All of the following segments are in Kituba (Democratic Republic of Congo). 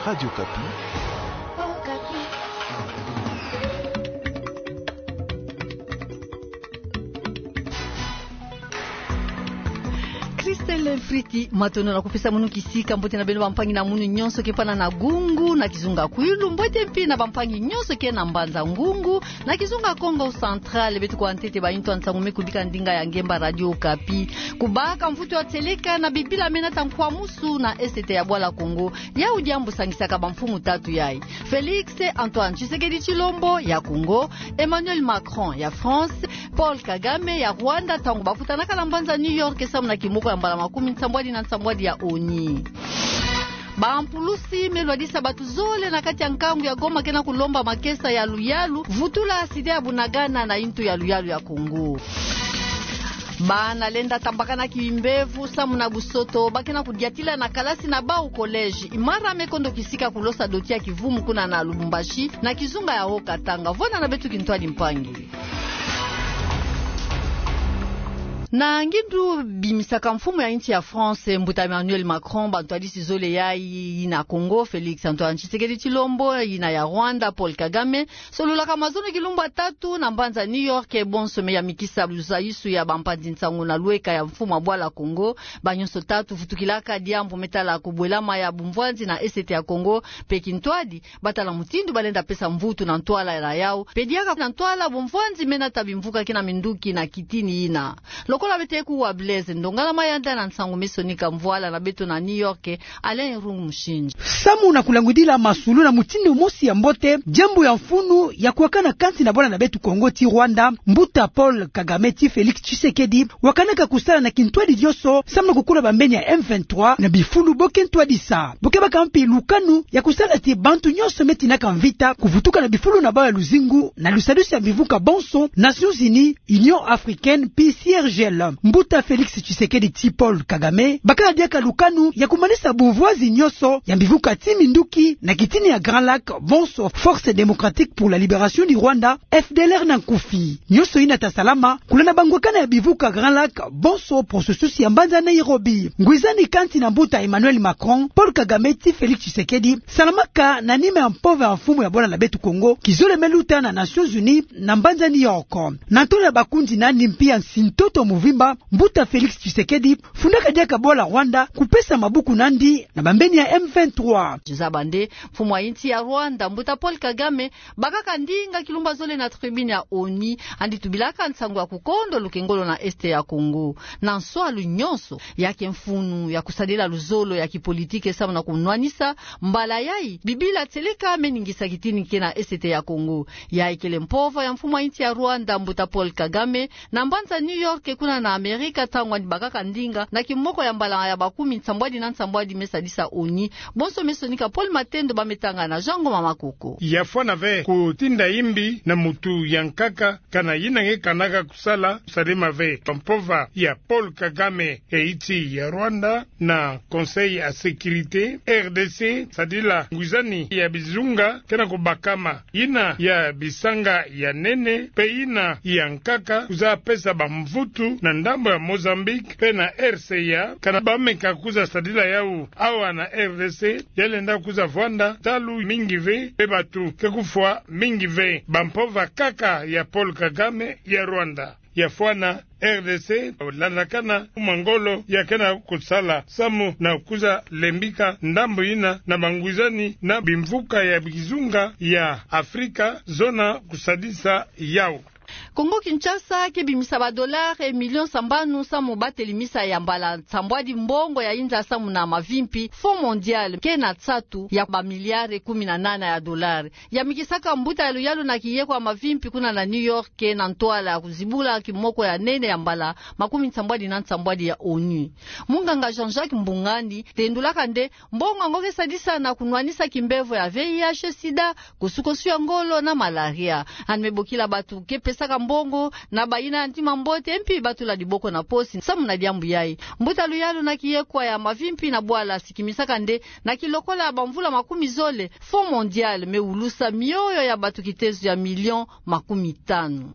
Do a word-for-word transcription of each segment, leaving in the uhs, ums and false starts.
Radio Okapi. Christelle Friti, matondo na kupesa munu kisika. Mbote na beno bampangi na munu nyonso ke pana na Gungu na kizunga Kwilu. Mbote mpi na bampangi nyonso ke na Mbanza-Ngungu na kizunga Kongo Central. Beto kwa ntete ba intu ya nsangu me kubika ndinga ya ngemba Radio Okapi. Kubaka mvutu ya tieleka na bibila me nata nkwamusu na Est ya bwala Kongo. Yau diambu sangisaka bamfumu tatu yai: Félix Antoine Tshisekedi Tshilombo ya Congo, Emmanuel Macron ya France, Paul Kagame ya Rwanda, ntangu bakutanaka na mbanza New York samu na kimoko ya mbala makumi nsambwadi na nsambwadi ya ONU. Bampulusi me lwadisa bato zole na kati ya nkangu ya Goma ke na kulomba makesa ya luyalu, vutula site ya Bunagana na intu ya luyalu ya Congo. Bana lenda tambakana kimbevo samu na busoto, ba ke na kudiatila na kalasi na bau collège. Imara me kondo kisika kulosa doti ya kivumu kuna na Lubumbashi, na kizunga ya Haut-Katanga. Vwanda na beto kintwadi mpangi. Na ngindu bimisaka mfumu ya insi ya France, mbuta Emmanuel Macron, bantwadisi zole yai, yina Congo, Félix Antoine Tshisekedi Tshilombo, yina ya Rwanda, Paul Kagame, sololaka mazono kilumbu ya tatu na mbanza New York, bonso me yamikisa luzaisu ya bampanzi nsangu na lweka ya mfumu ya bwala Congo. Ba nyonso tatu vutukilaka diambu me tala kubwelama ya bumvwanzi na Est ya Congo, mpe kintwadi ba tala mutindu ba lenda pesa mvutu na ntwala na yau, mpe diaka na ntwala bumvwanzi me nata bimvuka ke na minduki na kitini yina. Lokola beto kuwa Blaise Ndongala Mayanda na nsangu me sonika mvwala na beto na New York, Alain Irungu Mushindji. Samu na kulangwidila masolo na mutindu mosi ya mbote, diambu ya mfunu ya kuwakana kansi na bwala na beto Congo ti Rwanda, mbuta Paul Kagame ti Félix Tshisekedi wakanaka kusala na kintwadi dioso samu na kukula bambeni ya M vingt-trois na bifulu bo ke ntwadisa. Bo ke baka mpi lukanu ya kusala ti bantu nyonso me tinaka mvita kuvutuka na bifulu na bau ya luzingu na lusadusi ya mbivuka bonso, Nations Unies, Union Africaine, mpi C I R G L. Mbuta Félix Tshisekedi ti Paul Kagame bakala diaka lukanu ya kumanisa bumvwazi nyonso ya mbivuka ti minduki na kitini ya Grand Lac, bonso Force Démocratique pour la Libération du Rwanda, F D L R na nkufi. Nyonso yina ta salama kulanda bangwakana ya bivuka Grand Lac, bonso processus ya mbanza Nairobi. Ngwizani kansi na mbuta Emmanuel Macron, Paul Kagame ti Félix Tshisekedi salamaka na nima ya mpova ya mfumu ya bwala na beto Congo kizole me luta na Nations Unies na mbanza New York. Na ntolo ya bakundi nani mpi ya nsi-ntoto muvimba, mbuta Félix Tshisekedi fundaka diaka bwala Rwanda kupesa mabuku nandi na bambeni ya M vingt-trois. Zaba nde, mfumu ya insi ya Rwanda, mbuta Paul Kagame, bakaka ndinga kilumbu ya zole na tribune ya ONU, andi tubilaka nsangu ya kukondo lukengolo na Est ya Congo. Na nswalu nyonso, ya ke mfunu ya kusadila luzolo ya kipolitike samu na kunwanisa mbala yai bibila tieleka me ningisa kitini ke na Est ya Congo. Yai kele mpova ya mfumu ya insi ya Rwanda, mbuta Paul Kagame, na mbanza New York kuna na Amerika, ntangu andi bakaka ndinga na kimoko ya mbala ya makumi nsambwadi na nsambwadi me sadisa ONU. Bonso me sonika Paul Matendo, ba me tanga na Jean Ngoma Makoko. Ya fwana ve kutinda yimbi na mutu ya nkaka, kana yina nge kanaka kusala, salema ve. Mpova ya Paul Kagame ya insi ya Rwanda na Conseil ya Sécurité, R D C, sadila ngwizani ya bizunga ke na kubakama, yina ya bisanga ya nene mpe yina ya nkaka, kwiza pesa bamvutu na ndambo ya Mozambique mpe na R C A, kana ba meka kwiza sadila yau awa na R D C, ya lenda kwiza vwanda ntalu mingi ve mpe batu ke kufwa mingi ve. Bampova kaka ya Paul Kagame ya Rwanda. Ya fwana R D C landakana mangolo ya ke na kusala samu na kwiza lembika ndambo yina na bangwizani na bimvuka ya bizunga ya Afrika zona kusadisa yau. Congo Kinshasa ke bimisa ba dollars millions sambanu samu bateli misa ya mbala nsambwadi mbongo ya inza samu na mavimpi, Fonds Mondial ke na nsatu ya ba milliards kumi na nana ya dollars. Yamikisaka mbuta ya luyalu na kiyeko ya mavimpi kuna na New York na ntwala ya kuzibula kimoko ya nene ya mbala makumi nsambwadi na nsambwadi ya ONU. Munganga Jean-Jacques Mbungani tendulaka nde mbongo yango ke sadisa na kunwanisa kimbevo ya V I H, sida, kosukosu ya ngolo na malaria. Andi me bokila batu ke pesaka mbongo na bayina ya ntima mbote, mpi batula diboko na posi samu na diambu yai. Mbuta luyalu na kiyeko ya mavimpi na bwala sikimisaka nde na kilokola ya bamvula makumi zole, Fonds Mondial me wulusa mioyo ya batu kitezo ya millions makumi tanu.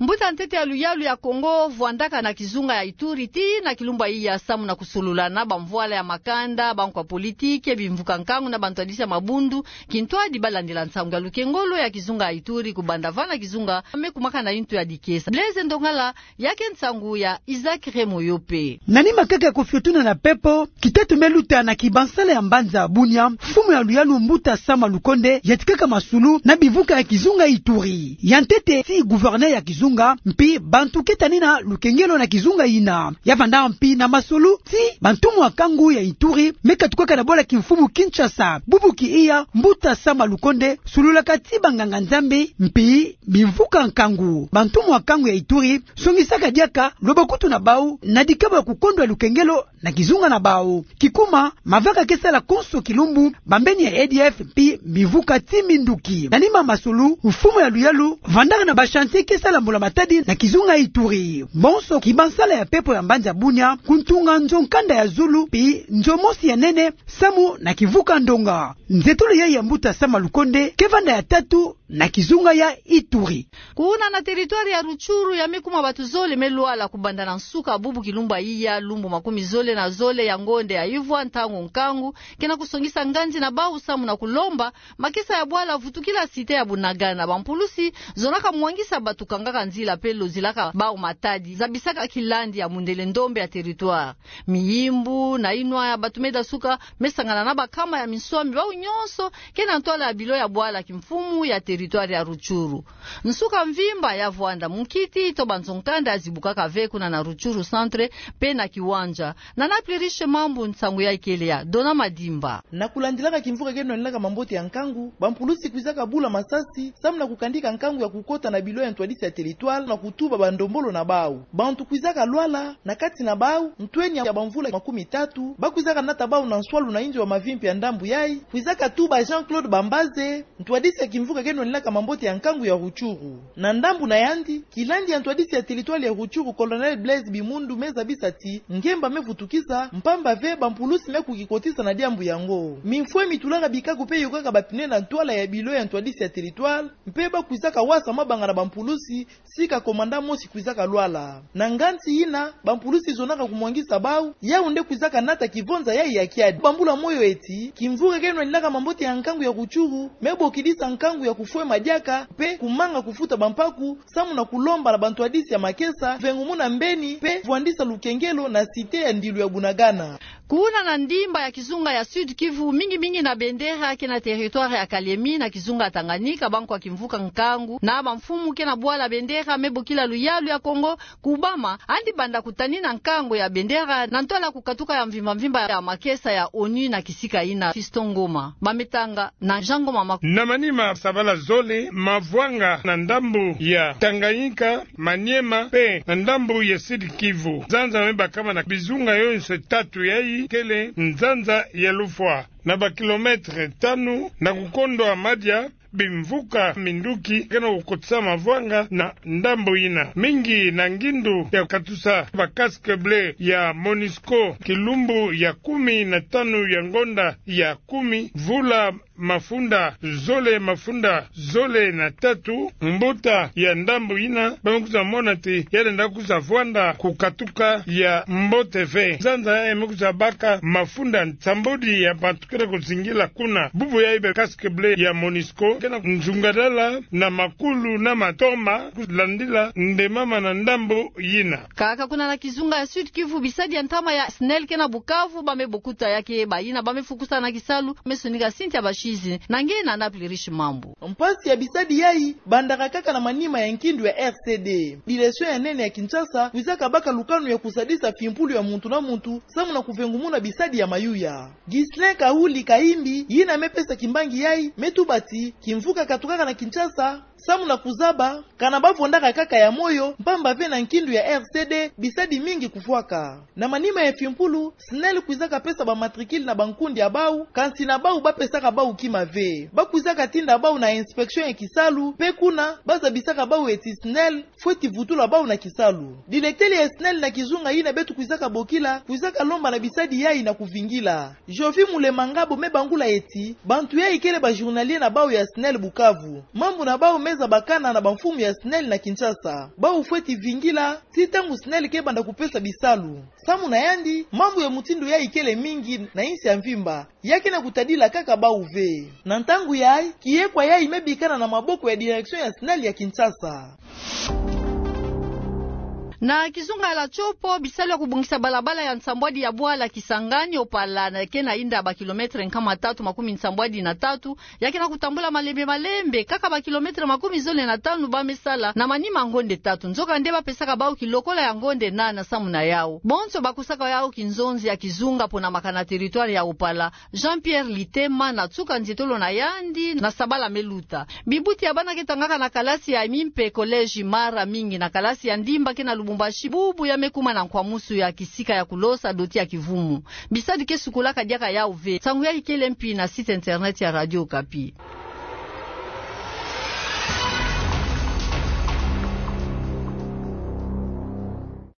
Mbuta ntete ya luyalu ya Kongo vwandaka na kizunga ya Ituri tii na kilumbu ya iya samu na kusulula na bamvwala ya makanda, bankwa politiki, bimvuka nkangu na bantwadisi ya mabundu, kintwadi balandila nsangu ya lukengolo ya kizunga ya Ituri kubanda va na kizunga me kumaka na yintu ya dikesa. Blaise Ndongala, ya ke nsangu ya Isaac Remoyope. Na nima kaka ya kofiotuna na pepo, kitatu me luta na kibansala ya mbanza Bunia, mfumu ya luyalu Mbuta Sama Lukonde yatikaka masulu na bimvuka ya kizunga Ituri. Ya ntete tii gouverneur ya kizunga, mpi bantu keta nina lukengelo na kizunga yina. Ya vanda mpi na masulu tii bantumwa nkangu ya Ituri me katukaka na bwala kimfumu Kinshasa. Bubu ki iya Mbuta Sama Lukonde sululaka tii banganga-Nzambi, mpi bimvuka nkangu. Bantumwa nkangu ya Ituri songisaka diaka lwabakutu na bau na dikabo ya kukondwa lukengelo na kizunga na bau. Kikuma, mavaka ke sala konso kilumbu, bambeni ya A D F mpi bimvuka tii minduki. Na nima masulu, mfumu ya luyalu vandaka na ba chantier ke sala mbula-matadi na kizunga Ituri. Bonso kibansala ya pepo ya mbanza Bunia, kuntunga nzo nkanda ya zulu mpi nzo mosi ya nene samu na kimvuka ndonga. Nzietolo yayi ya Mbuta Sama Lukonde ke vanda ya tatu na kizunga ya Ituri. Kuna na territoire ya Rutshuru, ya me kuma bantu zole me lwala kubanda na nsuka bubu kilumbu ya iya, lumbu makumi zole na zole ya ngonde ya ivwa, ntangu nkangu ke na kusongisa nganzi na bau samu na kulomba makesa ya bwala vutukila cité ya Bunagana. Bampulusi zonaka mwangisa bantu, kangaka nzila mpe lozilaka bau matadi, zabisaka kilandi ya mundele ndombe ya territoire. Miyimbu na inwa ya bantu me dasuka me sangana na bankama ya minswami, bau nyonso ke na ntwala ya bilo ya bwala kimfumu ya territoire ya Rutshuru. Nsuka mvimba ya vwanda, munkiti to banzo nkanda ya zibukaka ve kuna na Rutshuru centre mpe na Kiwanja. Na Nana Pluriche Mambu, nsangu yayi kele ya Dona Madimba. Na kulandilaka kimvuka ke nwanilaka mambote ya nkangu, bampulusi kwizaka bula masasi samu na kukandika nkangu ya kukota na bilo ya ntwadisi ya territoire na kutuba bandombolo na bau. Bantu kwizaka lwala, na kati na bau ntweni ya bamvula makumi tatu, ba kwizaka nata bau na nswalu na inzo ya mavimpi ya ndambu yayi, kwizaka tuba Jean-Claude Bambaze, ntwadisi ya kimvuka ke nwanilaka mambote ya nkangu ya Rutshuru. Na ndambu na yandi, kilandi ya ntwadisi ya territoire ya Rutshuru, Colonel Blaise Bimundu, me zabisa ti ngemba me vutukisa, mpamba ve bampulusi me kukikotisa na diambu yango. Mimfwe mi tulaka bikako mpe yokaka ba pneu na ntwala ya bilo ya ntwadisi ya territoire, mpe ba kwizaka wasa mabanga na bampulusi, sika commandant mosi kwizaka lwala. Na nganzi yina, bampulusi zonaka kumwangisa bau, yau nde kwizaka nata kivonza yayi ya kiadi. Bambula moyo eti, kimvuka ke nwanilaka mambote ya nkangu ya Rutshuru me bokidisa nkangu ya kufwema diaka, mpe kumanga kufuta bampaku, samu na kulomba na bantwadisi ya makesa vengumuna mbeni mpe vwandisa lukengelo na cité ya ndilu ya Bunagana. Kuna na ndimba ya kizunga ya Sud-Kivu, mingi mingi na bendera ke na territoire ya Kaliemi na kizunga ya Tanganyika, bankwa kimvuka nkangu na bamfumu ke na bwala bendera me bokila luyalu ya Kongo kubama, yandi banda kutanina nkangu ya bendera na ntwala kukatuka ya mvimba mvimba ya makesa ya ONU na kisika yina. Fiston Ngoma, Bamintanga na Jean Ngoma Maku. Na manima sabala zole mavwanga na ndambu ya Tanganyika, Maniema mpe na ndambu ya Sud-Kivu. Nzanza me bakama na bizunga yonso tatu yayi kele nzanza ya lufwa. Na ba kilomètre tanu na kukondwa madia, bimvuka minduki ke na kukotisa mavwanga na ndambu yina. Mingi na ngindu ya katusa ba casque bleu ya MONUSCO kilumbu ya kumi na tanu ya ngonda ya kumi, vula mafunda zole, mafunda zole na tatu, mbuta ya ndambu yina ba me kwiza mona ti ya lenda kwiza vwanda kukatuka ya mbote ve. Nzanza yayi me kwiza baka mafunda nsambwadi ya bantu ke na kuzingila kuna. Bubu yayi ba casque bleu ya MONUSCO ke na nzungadala na makulu na matoma kulandila nde mama na ndambu yina. Kaka kuna na kizunga ya Sud-Kivu, bisadi ya ntama ya SNEL ke na Bukavu ba me bokuta ya ke bayina ba me fukusana kisalu, me sonika Cynthia Bashizi, na nge Nana Pluriche Mambu. Mpasi ya bisadi yayi bandaka kaka na manima ya nkindu ya R C D. Direction ya nene ya Kinshasa kwizaka baka lukanu ya kusadisa fimpulu ya muntu na muntu samu na kuvengumuna bisadi ya mayuya. Ghislain Kahuli Kahimbi, yina me pesa kimbangi yayi, me tuba ti kimvuka katukaka na Kinshasa samu na kuzaba kana ba vondaka kaka ya moyo, mpamba ve na nkindu ya R C D bisadi mingi kufwaka. Na manima ya fimpulu, SNEL kwizaka pesa ba matricule na bankundi ya bau, kansi na bau ba pesaka bau kima ve. Ba kwizaka tinda bau na inspection ya kisalu, mpe kuna ba zabisaka bau eti SNEL fweti vutula bau na kisalu. Directeur ya SNEL na kizunga yina beto kwizaka bokila kwizaka lomba na bisadi yayi na kuvingila. Jovi Mulemangabo me bangula eti bantu yayi kele ba journalier na bau ya SNEL Bukavu. Mambu na bau me zabakana na bamfumu ya SNEL na Kinshasa. Bawu fweti vingila tii ntangu SNEL ke banda kupesa bisalu. Samu na yandi, mambu ya mutindu yayi kele mingi na insi ya mvimba, ya ke na kutadila kaka bawu ve. Na ntangu yayi, kiyekwa yayi me bikana na maboko ya direction ya SNEL ya Kinshasa. Na kizunga ya Tshopo, bisalu ya kubongisa balabala ya nsambwadi ya bwala Kisangani Opala, na ke na inda ba kilometre nkama tatu makumi nsambwadi na tatu, ya ke na kutambula malembe malembe, kaka ba kilometre makumi zole na tanu ba me sala na manima ngonde tatu. Nzokande ba pesaka bawu kilokola ya ngonde nana samu na yawu. Bonso ba kusaka yawu kinzonzi ya kizunga pona makana territoire ya Opala. Jean-Pierre Litema na tsuka nzietolo na yandi na sabala me luta. Bibuti ya bana ke tangaka na kalasi ya mimpe collège Mara mingi na kalasi ya ndimba ke na Lubumbashi bubu ya me kuma na nkwamusu ya kisika ya kulosa doti ya kivumu. Bisadi ke sukolaka diaka yawu ve. Nsangu yayi kele mpi na site internet ya Radio Okapi.